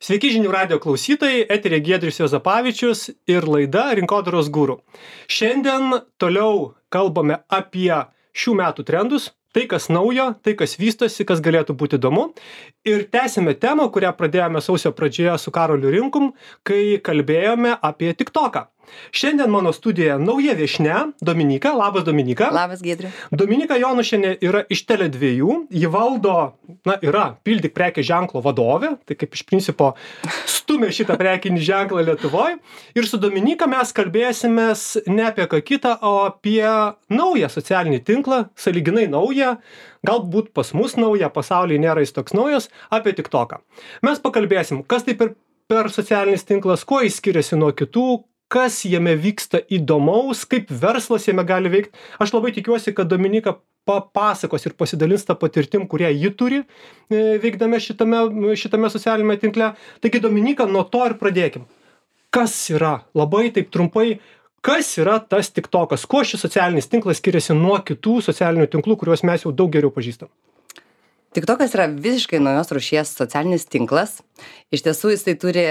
Sveiki žinių radio klausytojai, eterė Giedrius Juozapavičius ir laida Rinkodaros guru. Šiandien toliau kalbame apie šių metų trendus, tai kas naujo, tai kas vystosi, kas galėtų būti įdomu. Ir tęsime temą, kurią pradėjome sausio pradžioje su Karoliu Rinkum, kai kalbėjome apie TikToką. Šiandien mano studijoje nauja viešnia, Dominyka. Labas, Dominyka. Labas, Giedriu. Dominyka Jonušienė yra iš Tele2, ji valdo, yra Pildyk prekės ženklo vadovė, tai kaip iš principo stumia šitą prekinį ženklą Lietuvoje. Ir su Dominyka mes kalbėsimės ne apie ką kitą, o apie naują socialinį tinklą, sąlyginai naują, galbūt pas mus naują, pasaulyje nėra jis toks naujas, apie TikToką. Mes pakalbėsim, kas tai per socialinis tinklas, kuo jis skiriasi nuo kitų, kas jame vyksta įdomaus, kaip verslas jame gali veikti. Aš labai tikiuosi, kad Dominyka papasakos ir pasidalins tą patirtim, kurią ji turi veikdame šitame socialinėme tinkle. Taigi, Dominyka, nuo to ir pradėkim. Kas yra, labai taip trumpai, kas yra tas TikTokas? Kuo šis socialinis tinklas skiriasi nuo kitų socialinių tinklų, kuriuos mes jau daug geriau pažįstam? TikTokas yra visiškai naujos rūšies socialinis tinklas. Iš tiesų jisai turi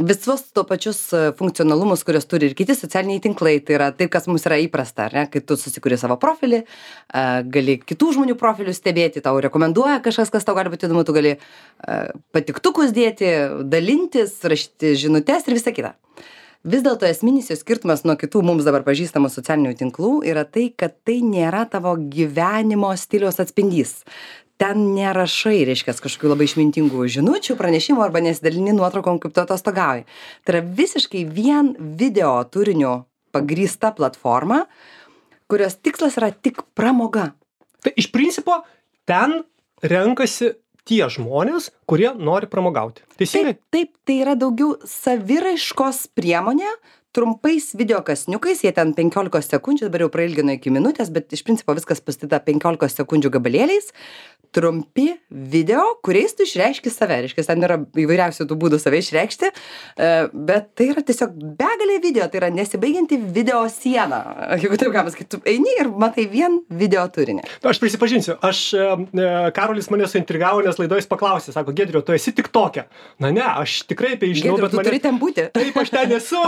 visus to pačius funkcionalumus, kurios turi ir kiti socialiniai tinklai. Tai yra taip, kas mums yra įprasta, ar ne? Kai tu susikuri savo profilį, gali kitų žmonių profilius stebėti, tau rekomenduoja kažkas, kas tau gali būti įdomu, tu gali patiktukus dėti, dalintis, rašyti žinutes ir visa kita. Vis dėlto esminis jo skirtumas nuo kitų mums dabar pažįstamų socialinių tinklų yra tai, kad tai nėra tavo gyvenimo stiliaus atspindys. Ten nerašai, reiškia, kažkokių labai išmintingų žinučių, pranešimų arba nesidalini nuotraukom, kaip tu atostogauji. Tai yra visiškai vien video turiniu pagrįsta platforma, kurios tikslas yra tik pramoga. Tai iš principo ten renkasi tie žmonės, kurie nori pramogauti. Teisingai? Taip, tai yra daugiau saviraiškos priemonė, trumpais video kasniukais, jie ten 15 sekundžių, dabar jau prailgino iki minutės, bet iš principo viskas pastatyta 15 sekundžių gabalėliais, trumpi video, kuriais tu išreiški save. Reiškia, ten yra įvairiausių tų būdų save išreikšti, bet tai yra tiesiog begalė video, tai yra nesibaigianti video siena. Jeigu taip galima sakyti, tu eini ir matai vien video turinį. Aš prisipažinsiu, Karolis mane suintrigavo, nes laidoj paklausė, sako, Giedriu, tu esi TikTok'e. Na ne, aš tikrai apie žinau, Giedriu, tu turi ten būti. Taip, aš ten esu.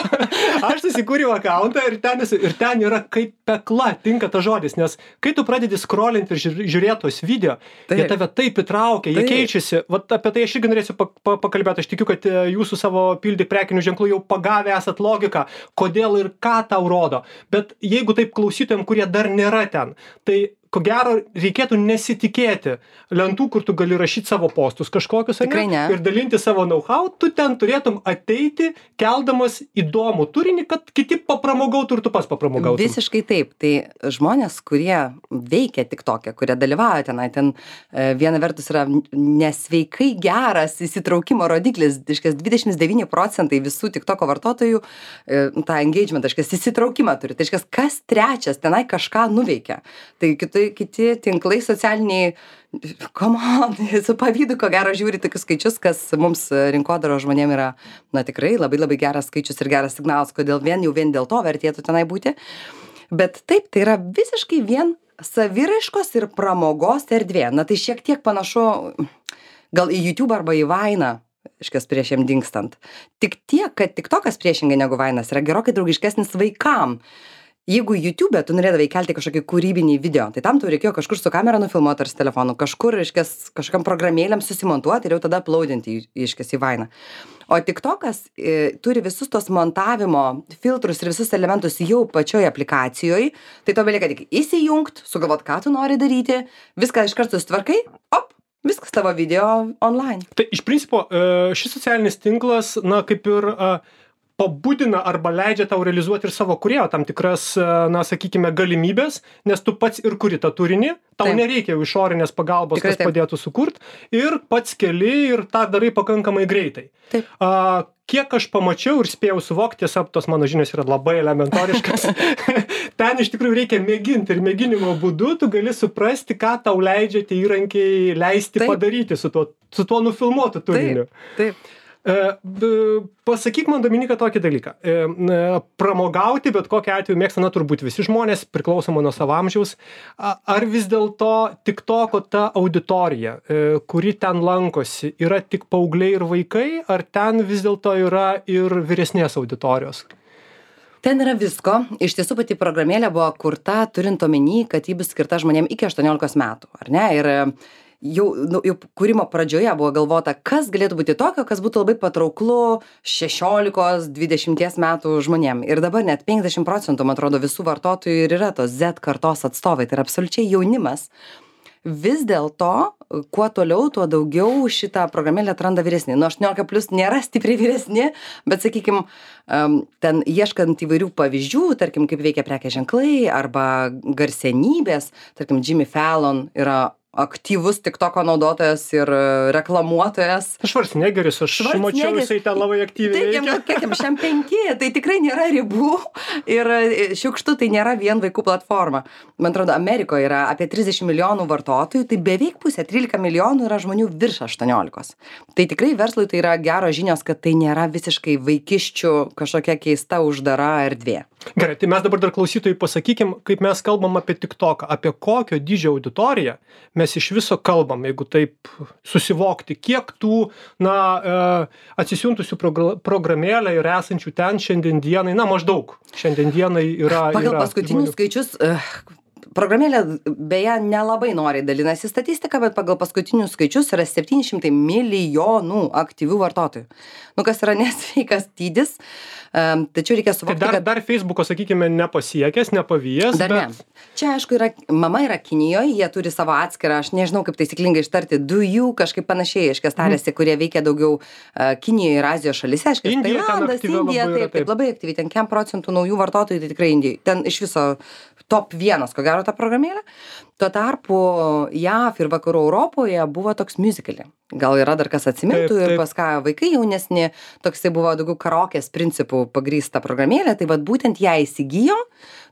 Aš susikūriau akauntą ir ten esu. Ir ten yra kaip pekla, tinka tas žodis, nes kai tu pradedi scrollinti ir žiūrėti tos video, jie tave taip įtraukia, jie keičiasi. Vat apie tai aš irgi norėsiu pakalbėti. Aš tikiu, kad jūsų savo Pildyk prekinių ženklų jau pagavę esat logiką, kodėl ir ką tau rodo. Bet jeigu taip klausytojams, kurie dar nėra ten, tai ko gero reikėtų nesitikėti lentų, kur tu gali rašyti savo postus kažkokius, ir dalinti savo know-how, tu ten turėtum ateiti, keldamas įdomų turinį, kad kiti papramogautų ir tu pas papramogautum. Visiškai taip. Tai žmonės, kurie veikia TikTok'e, kurie dalyvauja tenai, ten viena vertus yra nesveikai geras įsitraukimo rodiklis, 29% visų TikTok'o vartotojų tą engagement, įsitraukimą turi. Tai kas trečias tenai kažką nuveikia. Tai kiti tinklai socialiniai, su pavydu, ko gero žiūri tokius skaičius, kas mums rinkodaro žmonėm yra, tikrai labai labai geras skaičius ir geras signalas, kodėl vien dėl to vertėtų tenai būti. Bet taip, tai yra visiškai vien saviraiškos ir pramogos erdvė. Tai šiek tiek panašu gal į YouTube arba į Vine'ą, prieš jam dingstant. Tik tiek, kad TikTokas priešingai negu Vine'as yra gerokai draugiškesnis vaikam. Jeigu YouTube'e tu norėdavai kelti kažkokį kūrybinį video, tai tam tau reikėjo kažkur su kamera nufilmuoti ar su telefonu, kažkur, kažkam programėlėm susimontuoti ir jau tada uploadinti, į Vine'ą. O TikTokas turi visus tos montavimo filtrus ir visus elementus jau pačioj aplikacijoje, tai to belieka tik įsijungt, sugalvot, ką tu nori daryti, viską iš karto sutvarkai, viskas tavo video online. Tai iš principo šis socialinis tinklas, kaip ir pabudina arba leidžia tau realizuoti ir savo kūrėjo tam tikras, sakykime, galimybės, nes tu pats ir kuri tą turinį, tau nereikia jau išorinės pagalbos, kas padėtų sukurt, ir pats keli ir tą darai pakankamai greitai. Taip. Kiek aš pamačiau ir spėjau suvokti, tiesa, tos mano žinios yra labai elementoriškas, ten iš tikrųjų reikia mėginti ir mėginimo būdu tu gali suprasti, ką tau leidžia tie įrankiai leisti padaryti su tuo nufilmuotu turiniu. Taip. Pasakyk man, Dominika, tokį dalyką. Pramogauti bet kokiu atveju mėgsta, na, turbūt visi žmonės, priklausomai nuo savo amžiaus. Ar vis dėlto TikToko ta auditorija, kuri ten lankosi, yra tik paaugliai ir vaikai, ar ten vis dėlto yra ir vyresnės auditorijos? Ten yra visko. Iš tiesų pati programėlė buvo kurta, turint omeny, kad ji bus skirta žmonėm iki 18 metų, ar ne? Ir jau kūrimo pradžioje buvo galvota, kas galėtų būti tokio, kas būtų labai patrauklu 16-20 metų žmonėm. Ir dabar net 50%, man atrodo, visų vartotojų ir yra tos Z kartos atstovai. Tai yra absoliučiai jaunimas. Vis dėlto, kuo toliau, tuo daugiau šitą programėlę atranda vyresni. Nuo 18 plus nėra stipriai vyresni, bet, sakykim, ten ieškant įvairių pavyzdžių, tarkim, kaip veikia prekės ženklai arba garsenybės, tarkim, Jimmy Fallon yra aktyvus TikToko naudotojas ir reklamuotojas. Švarcnegeris, aš mačiau, jisai ten labai aktyviai veikia. Taip, kiek jam šiam 5, tai tikrai nėra ribų ir šiukštu tai nėra vien vaikų platforma. Man atrodo, Amerikoje yra apie 30 milijonų vartotojų, tai beveik pusė, 13 milijonų yra žmonių virš 18. Tai tikrai verslui tai yra geros žinios, kad tai nėra visiškai vaikiščių kažkokia keista uždara erdvė. Gerai, tai mes dabar dar klausytojai pasakykim, kaip mes kalbam apie TikToką, apie kokio dydžio auditoriją mes iš viso kalbam, jeigu taip susivokti, kiek tų, atsisiuntusių programėlę ir esančių ten šiandien dienai, maždaug šiandien dienai yra. Pagal paskutinius skaičius, programėlė beje nelabai noriai dalinasi statistika, bet pagal paskutinius skaičius yra 700 milijonų aktyvių vartotojų. Kas yra nesveikas dydis, tačiau reikia suvokti, tai dar Facebooko, sakykime, nepasiekęs, nepavijęs. Dar bet... ne. Čia, aišku, mama yra Kinijoje, jie turi savo atskirą, aš nežinau, kaip taisyklingai ištarti, Douyu, kažkaip panašiai, tarėsi, kurie veikia daugiau Kinijoje ir Azijos šalyse, Tailandas, Indija, taip, labai aktyviai, ten 100% naujų vartotojų, tai tikrai Indijai. Ten iš viso top 1, ko gero, ta programėlė. Tuo tarpu JAV ir vakarų Europoje buvo toks musicalė. Gal yra dar kas atsimintų ir pas ką vaikai jaunesni, toksai buvo daugiau karaokės principų pagrįsta programėlė, tai vat būtent ją įsigijo,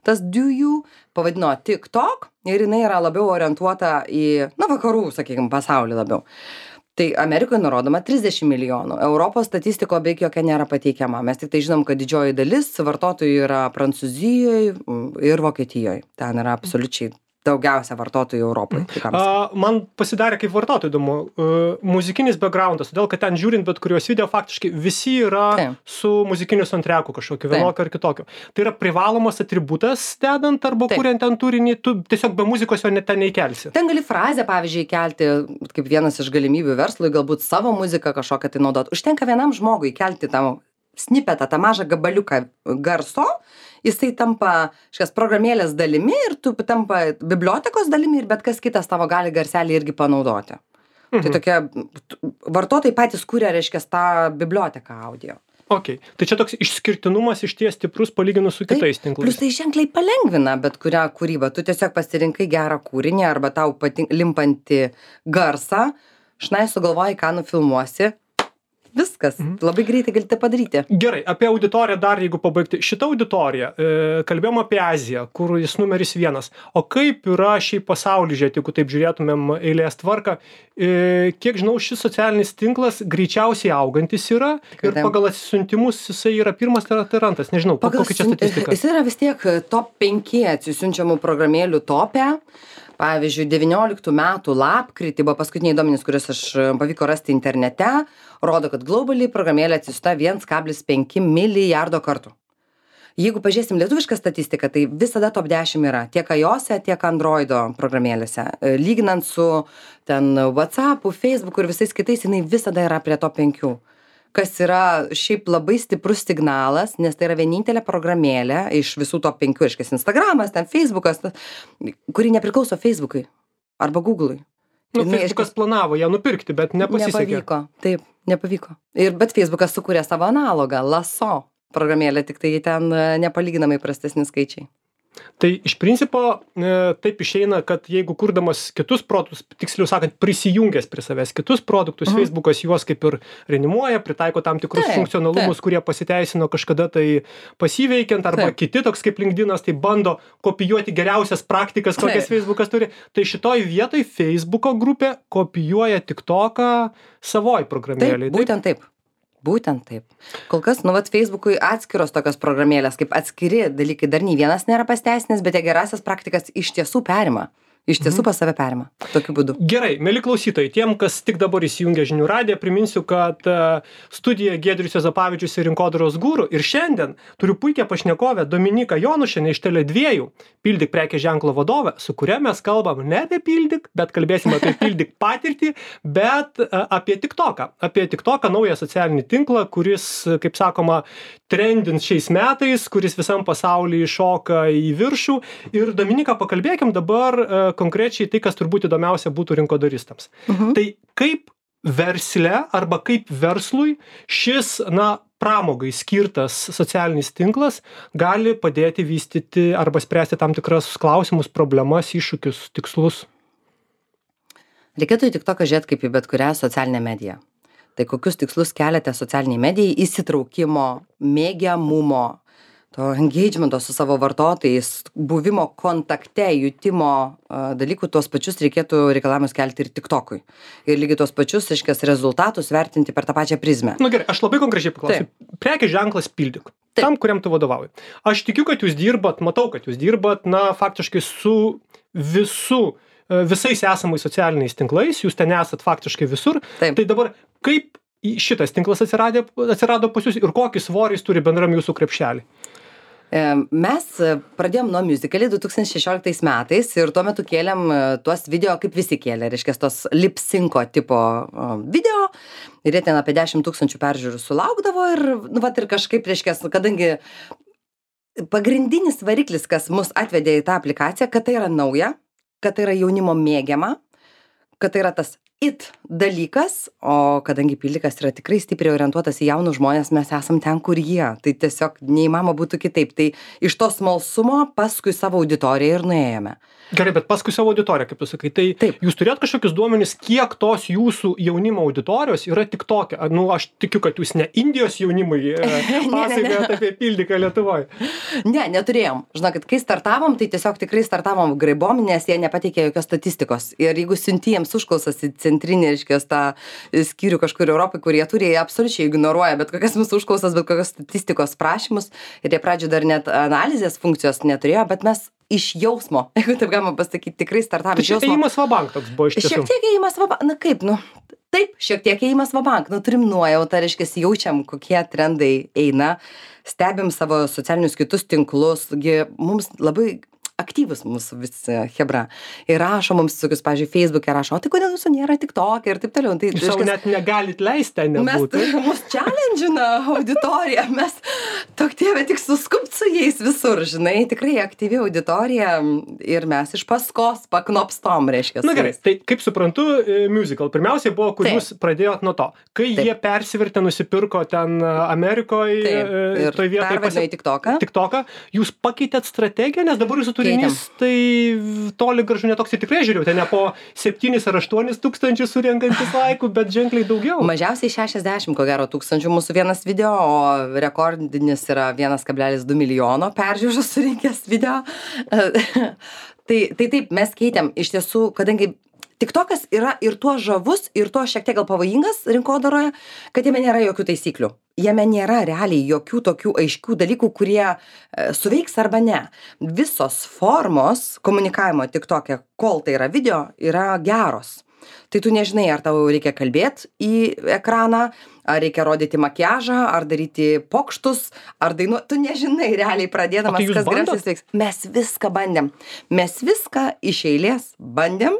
tas Douyu pavadino TikTok ir jinai yra labiau orientuota į, vakarų, sakykime, pasaulį labiau. Tai Amerikoje nurodoma 30 milijonų. Europos statistiko beveik jokia nėra pateikiama. Mes tik tai žinom, kad didžioji dalis vartotojų yra Prancūzijoje ir Vokietijoje. Ten yra absoliučiai daugiausia vartotojų Europoje. Man pasidarė kaip vartotojų įdomu. Muzikinis backgroundas, todėl kad ten žiūrint bet kuriuos video, faktiškai visi yra su muzikiniu soundtracku kažkokiu, vienokio ar kitokio. Tai yra privalomas atributas dedant arba kuriant ten turinį, tu tiesiog be muzikos jo net ten neįkelsi. Ten gali frazę, pavyzdžiui, kelti, kaip vienas iš galimybių verslui, galbūt savo muziką kažkokią tai naudot. Užtenka vienam žmogui kelti tą snipetą, tą mažą gabaliuką garso, jisai tampa šias programėlės dalimi ir tu tampa bibliotekos dalimi ir bet kas kitas tavo gali garselį irgi panaudoti. Tai tokie vartotojai patys kuria, reiškia, tą biblioteką audio. Okay. Tai čia toks išskirtinumas išties stiprus palyginus su kitais tinklais. Plus tai ženkliai palengvina bet kurią kūrybą. Tu tiesiog pasirinkai gerą kūrinį arba tau limpantį garsą, šnai sugalvoji, ką nufilmuosi. Viskas. Labai greitai galite padaryti. Gerai, apie auditoriją dar, jeigu pabaigti. Šitą auditoriją, kalbėjom apie Aziją, kur jis numeris 1. O kaip yra šiaip pasauly, jeigu taip žiūrėtumėm eilės tvarką, kiek žinau, šis socialinis tinklas greičiausiai augantis yra ir pagal atsisiuntimus jisai yra pirmas ar antras, nežinau, kokia čia statistika. Jis yra vis tiek top 5 atsisiunčiamų programėlių tope. Pavyzdžiui, 19 metų lapkritį buvo paskutiniai duomenys, kuriuos aš pavyko rasti internete, rodo, kad globaliai programėlė atsisiųsta 1,5 milijardo kartų. Jeigu pažiūrėsim lietuvišką statistiką, tai visada top 10 yra tiek iOS-e, tiek Androido programėlėse. Lyginant su ten WhatsApp'u, Facebook'u ir visais kitais, jinai visada yra prie top 5. Kas yra šiaip labai stiprus signalas, nes tai yra vienintelė programėlė iš visų top 5, iškės Instagramas, ten Facebookas, kuri nepriklauso Facebook'ui arba Google'ui. Facebookas planavo ją nupirkti, bet nepasisekė. Nepavyko, taip, nepavyko. Bet Facebookas sukūrė savo analogą, Lasso programėlę, tik tai ten nepalyginamai prastesni skaičiai. Tai iš principo taip išeina, kad jeigu kurdamas kitus produktus, tiksliau sakant, prisijungęs prie savęs kitus produktus, Facebookas juos kaip ir reanimuoja, pritaiko tam tikrus funkcionalumus, kurie pasiteisino kažkada tai pasiveikiant, arba kiti, toks kaip LinkedInas, tai bando kopijuoti geriausias praktikas, kokias Facebookas turi. Tai šitoj vietoj Facebooko grupė kopijuoja TikToką savoj programėlėj. Taip, būtent taip. Būtent taip. Kol kas, Facebook'ui atskiros tokios programėlės, kaip atskiri dalykai, dar nei vienas nėra pasiteisinęs, bet gerasias praktikas iš tiesų perima. Iš tiesų pas save perima. Tokiu būdu. Gerai, mėly klausytojai, tiem, kas tik dabar įsijungia Žinių radiją, priminsiu, kad studija Giedrius Juozapavičius ir Rinkodaros guru. Ir šiandien turiu puikią pašnekovę Dominiką Jonušienę iš Tele2, Pildyk prekės ženklo vadovę, su kuria mes kalbam ne apie Pildyk, bet kalbėsime apie Pildyk patirtį, bet apie TikToką. Apie TikToką, naują socialinį tinklą, kuris, kaip sakoma, trendins šiais metais, kuris visam pasaulyje šoka į viršų. Ir Dominika, pakalbėkim dabar konkrečiai tai, kas turbūt įdomiausia būtų rinkodaristams. Tai kaip versle arba kaip verslui šis, pramogai skirtas socialinis tinklas gali padėti vystyti arba spręsti tam tikras klausimus, problemas, iššūkius, tikslus? Reikėtų į TikToką žiūrėti kaip į bet kurią socialinę mediją. Tai kokius tikslus keliate socialiniai medijai, įsitraukimo, mėgiamumo, to engagemento su savo vartotojais, buvimo kontakte, jutimo dalykų, tuos pačius reikėtų reikalavimus kelti ir TikTokui. Ir lygiai tuos pačius, rezultatus vertinti per tą pačią prizmę. Gerai, aš labai konkrečiai paklausiu. Prekės ženklas Pildyk. Tam, kuriam tu vadovauji. Aš tikiu, kad jūs dirbat, matau, kad jūs dirbat, faktiškai su visais esamais socialiniais tinklais, jūs ten esat faktiškai visur. Taip. Tai dabar kaip šitas tinklas atsirado pas jūs ir kokį svorį jis turi bendram jūsų krepšelį? Mes pradėjom nuo musicalį 2016 metais ir tuo metu kėlėm tuos video, kaip visi kėlė, reiškia, tos lip-synco tipo video ir jie ten apie 10 000 peržiūrų sulaukdavo ir, ir kažkaip, reiškia, kadangi pagrindinis variklis, kas mus atvedė į tą aplikaciją, kad tai yra nauja, kad tai yra jaunimo mėgiama, kad tai yra tas dalykas, o kadangi Pildykas yra tikrai stipriai orientuotas į jaunus žmonės, mes esam ten, kur jie. Tai tiesiog neįmanoma būtų kitaip. Tai iš to smalsumo paskui savo auditoriją ir nuėjome. Gerai, bet paskui savo auditoriją, kaip tu sakai, tai Taip. Jūs turėt kažkokius duomenis, kiek tos jūsų jaunimo auditorijos yra TikTok'e? Aš tikiu, kad jūs ne Indijos jaunimui pasakojat apie Pildyką Lietuvoje. Ne, neturėjom. Žinokit, kai startavom, tai tiesiog tikrai startavom graibom, nes jie nepateikė jokios statistikos. Ir jeigu siunti jiems užklausas į centrinį, reiškias, tą skyrių kažkur Europai, kurie turi, jie absoliučiai ignoruoja bet kokias mūsų užklausas, bet kokios statistikos prašymus. Ir jie pradžioje dar net analizės funkcijos neturėjo, bet mes iš jausmo, jeigu taip galima pasakyti, tikrai startavome iš jausmo. Tai ėjimas vabank toks buvo iš tiesų. Šiek tiek ėjimas vabank, taip, šiek tiek ėjimas vabank, turim nuojautą, reiškia, jaučiam, kokie trendai eina, stebim savo socialinius kitus tinklus, mums labai aktyvus mūsų visi hebra. Ir rašo mums tokius, pavyzdžiui, Facebook'e rašo, o tai kodėl jūsų nėra TikTok'e ir taip toliau. Tai, jūs savo net negalit leisti ten nebūti. Mus challenge'ina auditorija, mes tokie, tik suskupt su jais visur, žinai, tikrai aktyvi auditorija ir mes iš paskos paknopstom, reiškia. Gerai, tai kaip suprantu, musical. Pirmiausiai buvo, kur jūs pradėjot nuo to. Kai jie persivertė, nusipirko ten Amerikoje, toj vietoje pervadino į TikToką, jūs pakeitėt strategiją, nes dabar jūsų turinys, tai toli gražu netoks ir tikrai žiūrėjau, ten ne po 7 ar 8 tūkstančių surenkantis laikų, bet ženkliai daugiau. Mažiausiai 60, ko gero, tūkstančių mūsų vienas video, o rekordinis yra 1,2 milijono peržiūrų surinkęs video. Tai taip, mes keitėm iš tiesų, kadangi TikTokas yra ir tuo žavus, ir tuo šiek tiek gal pavojingas rinkodaroje, kad jame nėra jokių taisyklių. Jame nėra realiai jokių tokių aiškių dalykų, kurie suveiks arba ne. Visos formos komunikavimo TikTok'e, kol tai yra video, yra geros. Tai tu nežinai, ar tau reikia kalbėti į ekraną, ar reikia rodyti makiažą, ar daryti pokštus, ar dainuoti. Tu nežinai realiai pradėdamas, kas geriausiai veiks. Mes viską bandėm. Mes viską iš eilės bandėm.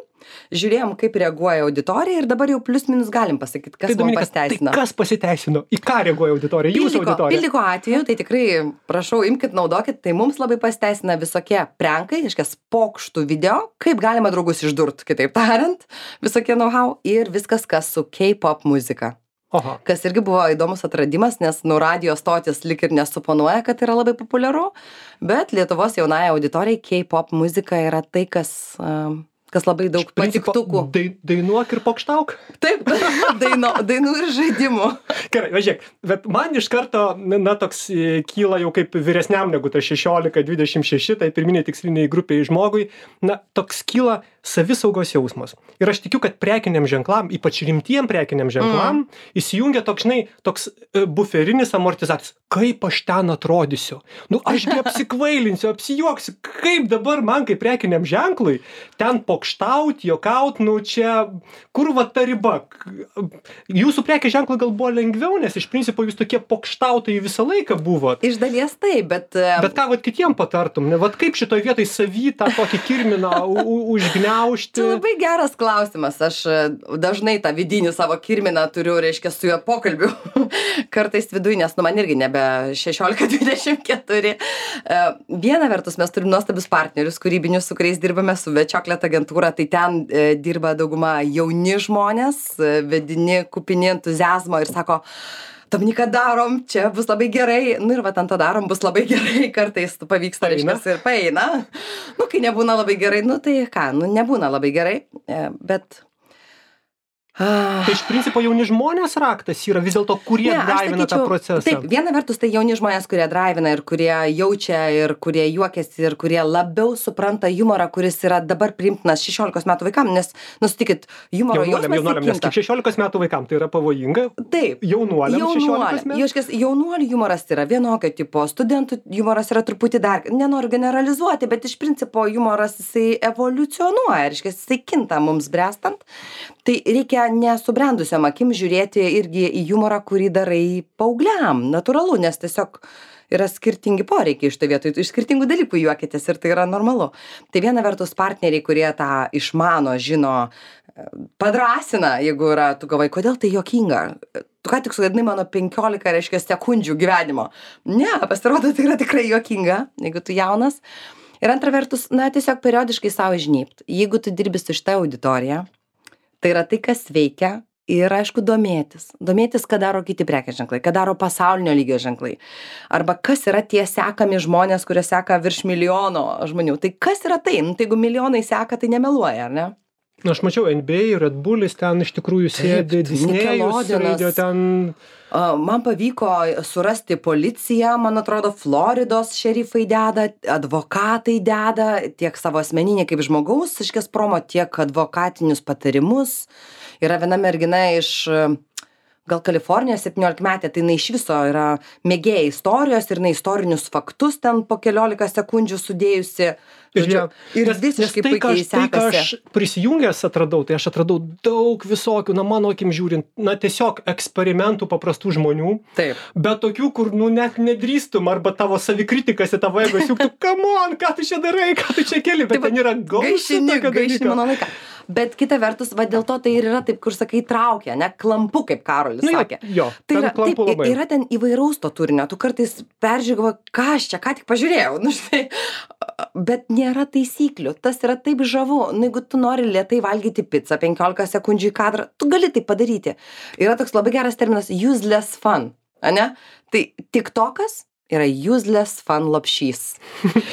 Žiūrėjom, kaip reaguoja auditorija ir dabar jau plius minus galim pasakyti, kas mums pasiteisino. Tai kas pasiteisino? Į ką reaguoja auditorija? Jūsų auditorija? Pildyko atveju, tai tikrai, prašau, imkit, naudokit, tai mums labai pasiteisina visokie prankai, reiškia, pokštų video, kaip galima draugus išdurt, kitaip tariant, visokie know-how ir viskas, kas su K-pop muzika. Aha. Kas irgi buvo įdomus atradimas, nes radio stotis lik ir nesuponuoja, kad yra labai populiaru, bet Lietuvos jaunai auditorijai K-pop muzika yra tai, kas labai daug patiktukų. Dainuok ir pokštauk? Taip, dainų ir žaidimų. Gerai, važiuok, bet man iš karto, toks kyla jau kaip vyresniam negu ta 16-26, tai pirminiai tiksliniai grupiai žmogui, toks kyla savisaugos jausmas. Ir aš tikiu, kad prekiniam ženklam, ypač rimtiem prekiniam ženklam, įsijungia toks buferinis amortizatorius. Kaip aš ten atrodysiu? Nu, ašgi apsikvailinsiu, apsijuoksiu. Kaip dabar man, kaip prekiniam ženklui, ten pokštaut, juokaut, nu čia, kur va ta riba? Jūsų prekės ženklui gal buvo lengviau, nes iš principo jūs tokie pokštautojai visą laiką buvot. Iš dalies taip, bet ką vat kitiem patartum? Vat kaip šitoj vietoj savy tą tokį kirminą užgniaužti? Tai labai geras klausimas. Aš dažnai tą vidinį savo kirminą turiu, reiškia, su juo pokalbiu. Kartais viduj, nes nu man irgi nebe 16-24. Viena vertus mes turim nuostabius partnerius kūrybinius, su kuriais dirbame su Chocolate agentūra. Tai ten dirba dauguma jauni žmonės, vedini, kupini entuziazmo ir sako, Dominika, darom, čia bus labai gerai. Nu ir va, ant to darom, bus labai gerai. Kartais pavyksta, reiškias, ir paeina. Nu, kai nebūna labai gerai, nu tai ką, nu nebūna labai gerai, bet... Tai iš principo jauni žmonės raktas yra vis dėlto, kurie draivina tą procesą. Taip, viena vertus tai jauni žmonės, kurie draivina ir kurie jaučia ir kurie juokiasi ir kurie labiau supranta humorą, kuris yra dabar priimtinas 16 metų vaikam, nes, nusitikit, humoro jausmas nes kaip 16 metų vaikam tai yra pavojinga. Taip. Jaunuoliams 16 metų. Jauškės, jaunuolių humoras yra vienokio tipo, studentų humoras yra truputį dar, nenoriu generalizuoti, bet iš principo humoras jisai evoliucionuoja, reiškia, jisai kinta mums brestant. Tai reikia nesubrendusiam akim žiūrėti irgi į humorą, kurį darai paaugliam. Natūralu, nes tiesiog yra skirtingi poreikiai iš tai vietoj. Iš skirtingų dalykų juokitės ir tai yra normalu. Tai viena vertus partneriai, kurie tą išmano, žino, padrasina, jeigu yra, tu galvoji, kodėl tai juokinga? Tu ką tik sugadinai mano 15, reiškia, sekundžių gyvenimo. Ne, pasirodo, tai yra tikrai juokinga, jeigu tu jaunas. Ir antra vertus, na, tiesiog periodiškai savo žnybt. Jeigu tu dirbi su šitą auditoriją, tai yra tai, kas veikia ir, aišku, domėtis. Domėtis, ką daro kiti prekės ženklai, ką daro pasaulinio lygio ženklai. Arba kas yra tie sekami žmonės, kurie seka virš milijono žmonių. Tai kas yra tai? Nu, tai jeigu milijonai seka, tai nemeluoja, ar ne? Na, aš mačiau NBA, Red Bullis ten iš tikrųjų sėdi, Disnėjus, radio ten... Man pavyko surasti policiją, man atrodo, Floridos šerifai deda, advokatai deda, tiek savo asmeninį kaip žmogaus, iškės promo, tiek advokatinius patarimus. Yra viena mergina iš gal Kalifornijos 17-metė, tai jinai iš viso yra mėgėja istorijos ir jinai istorinius faktus ten po 15 sekundžių sudėjusi. Ir visiškai puikiai sekasi. Tai, ką aš prisijungęs atradau, tai aš atradau daug visokių, na, mano akim žiūrint, na, tiesiog eksperimentų paprastų žmonių. Taip. Bet tokių, kur, nu, net nedrįstum, arba tavo savikritikas į tavo ego siūktų, come on, ką tu čia darai, ką tu čia keli, bet ten yra gaišini mano laiką. Bet kita vertus, va dėl to tai ir yra taip, kur sakai, traukia, ne, klampu, kaip Karolis sakė. Jo, tai yra, klampu taip, labai. Yra ten įvairaus to turinio, tu kartais peržiūrėjai, ką aš čia, ką tik pažiūrėjau, nu štai, bet nėra taisyklių, tas yra taip žavu, nu jeigu tu nori lėtai valgyti pizzą 15 sekundžių į kadrą, tu gali tai padaryti. Yra toks labai geras terminas useless fun, ane? Tai TikTokas yra useless fun lopšys.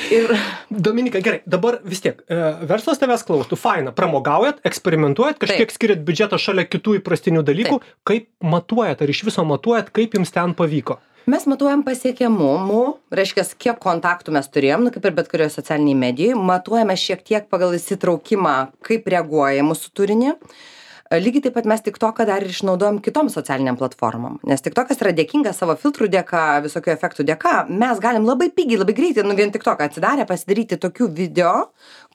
Ir... Dominika, gerai, dabar vis tiek, verslas tavęs klaustų, faina, pramogaujat, eksperimentuojat, kažkiek skiriat biudžetą šalia kitų įprastinių dalykų, kaip matuojat, ar iš viso matuojat, kaip jums ten pavyko? Mes matuojam pasiekiamumų, reiškia, kiek kontaktų mes turėjom, nu, kaip ir bet kurioje socialiniai medijai, matuojame šiek tiek pagal įsitraukimą, kaip reaguoja mūsų turinį. Lygiai taip pat mes TikToką dar ir išnaudojam kitom socialiniam platformom, nes TikTokas yra dėkingas savo filtrų dėka, visokių efektų dėka. Mes galim labai pigiai, labai greitai, nu vien TikToką atsidarę, pasidaryti tokių video,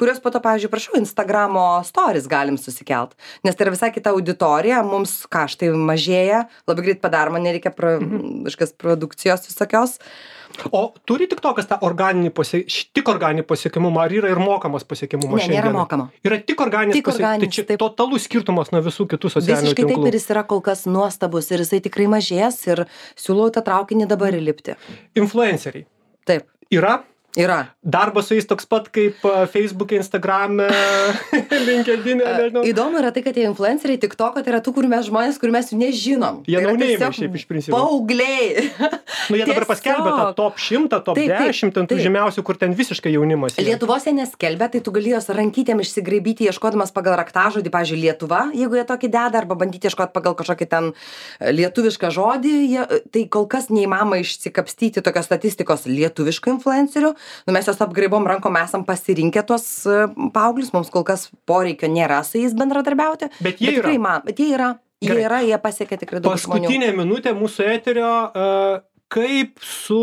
kuriuos po to, pavyzdžiui, prašau, Instagramo stories galim susikelt, nes tai yra visai kita auditorija, mums kaštai mažėja, labai greit padaroma, nereikia produkcijos visokios. O turi TikTokas tą tik organinį pasiekimumą, ar yra ir mokamas pasiekimumas šiandien? Ne, nėra mokama. Yra tik organinis pasiekimumas, tai čia totalus skirtumas nuo visų kitų socialinių tinklų. Visiškai taip, ir jis yra kol kas nuostabus ir jisai tikrai mažės ir siūlau tą traukinį dabar įlipti. Influenceriai. Taip. Yra? Yra. Darbas su jais toks pat kaip Facebook'e, Instagram'e, LinkedIn'e, nežinau. Įdomu yra tai, kad tie influenceriai TikTok'o tai yra tų, kur mes žmonės, kur mes jų nežinom. Jie naunėjimai šiaip iš principo. Paaugliai. Nu, jie dabar paskelbė tą top 100, top 10, tų žemiausių, kur ten visiškai jaunimas. Lietuvos jie neskelbia, tai tu gali jos rankytėm išsigraibyti, ieškodamas pagal raktažodį, pavyzdžiui, Lietuva, jeigu jie tokį deda, arba bandyti ieškoti pagal kažkokį ten lietuvišką žodį, tai kol kas neįmanoma išsikapstyti tokios statistikos lietuviškų influencerių. mes juos apgraibom rankom, esam pasirinkę tuos paauglius, mums kol kas poreikio nėra su jais bendradarbiauti. Bet jie yra. Jie pasiekia tikrai daug žmonių. Paskutinė minutė mūsų eterio, kaip su,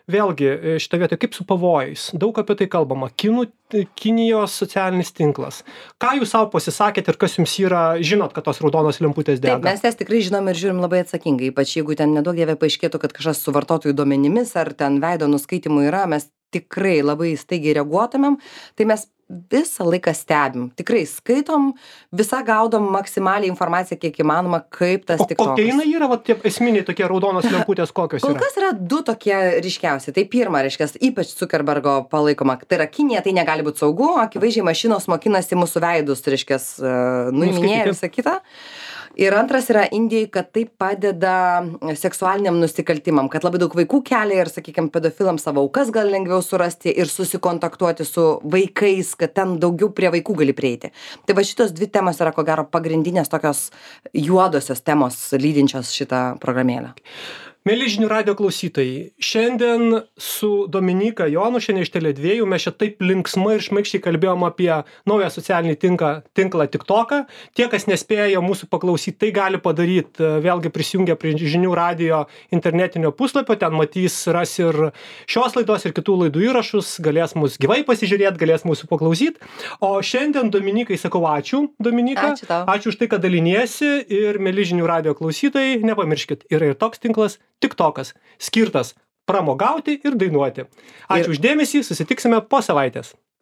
vėlgi, šitą vietą, kaip su pavojais. Daug apie tai kalbama. Kinijos socialinis tinklas. Ką jūs savo pasisakėt ir kas jums yra, žinot, kad tos raudonos lemputės dega? Taip, mes jas tikrai žinom ir žiūrim labai atsakingai, ypač jeigu ten nedaug dievė paaiškėtų, kad kažkas su vartotojų duomenimis ar ten veido nuskaitimu yra, mes tikrai labai staigiai reaguotumėm, tai mes visą laiką stebim, tikrai skaitom, visą gaudom maksimaliai informaciją, kiek įmanoma, kaip tas TikTokas. O kokie jinai yra, va, tie esminiai tokie raudonos lemputės, kokios yra? Kol kas yra du tokie ryškiausi. Tai pirma, reiškia, ypač Zuckerbergo palaikoma, tai yra Kinija, tai negali būti saugu, akivaizdžiai mašinos mokinasi mūsų veidus, reiškia, nuiminėja visą kitą. Ir antras yra Indijai, kad tai padeda seksualiniam nusikaltimam, kad labai daug vaikų kelia ir, sakykime, pedofilams savo aukas gal lengviau surasti ir susikontaktuoti su vaikais, kad ten daugiau prie vaikų gali prieiti. Tai va šitos dvi temos yra, ko gero, pagrindinės tokios juodosios temos lydinčios šitą programėlę. Mieli žinių radijo klausytojai, šiandien su Dominyka Jonu, šiandien iš Tele2, mes čia taip linksmai ir šmaikščiai kalbėjom apie naują socialinį tinklą TikToką. Tie, kas nespėjo mūsų paklausyti, tai gali padaryti, vėlgi prisijungę prie žinių radijo internetinio puslapio, ten ras ir šios laidos ir kitų laidų įrašus, galės mus gyvai pasižiūrėti, galės mūsų paklausyti. O šiandien Dominikai sakau ačiū, Dominika. Ačiū tau. Ačiū už tai, kad daliniesi ir mieli žinių radijo klausytojai, nepamirškit, yra ir toks tinklas TikTokas, skirtas pramogauti ir dainuoti. Ačiū už dėmesį, susitiksime po savaitės.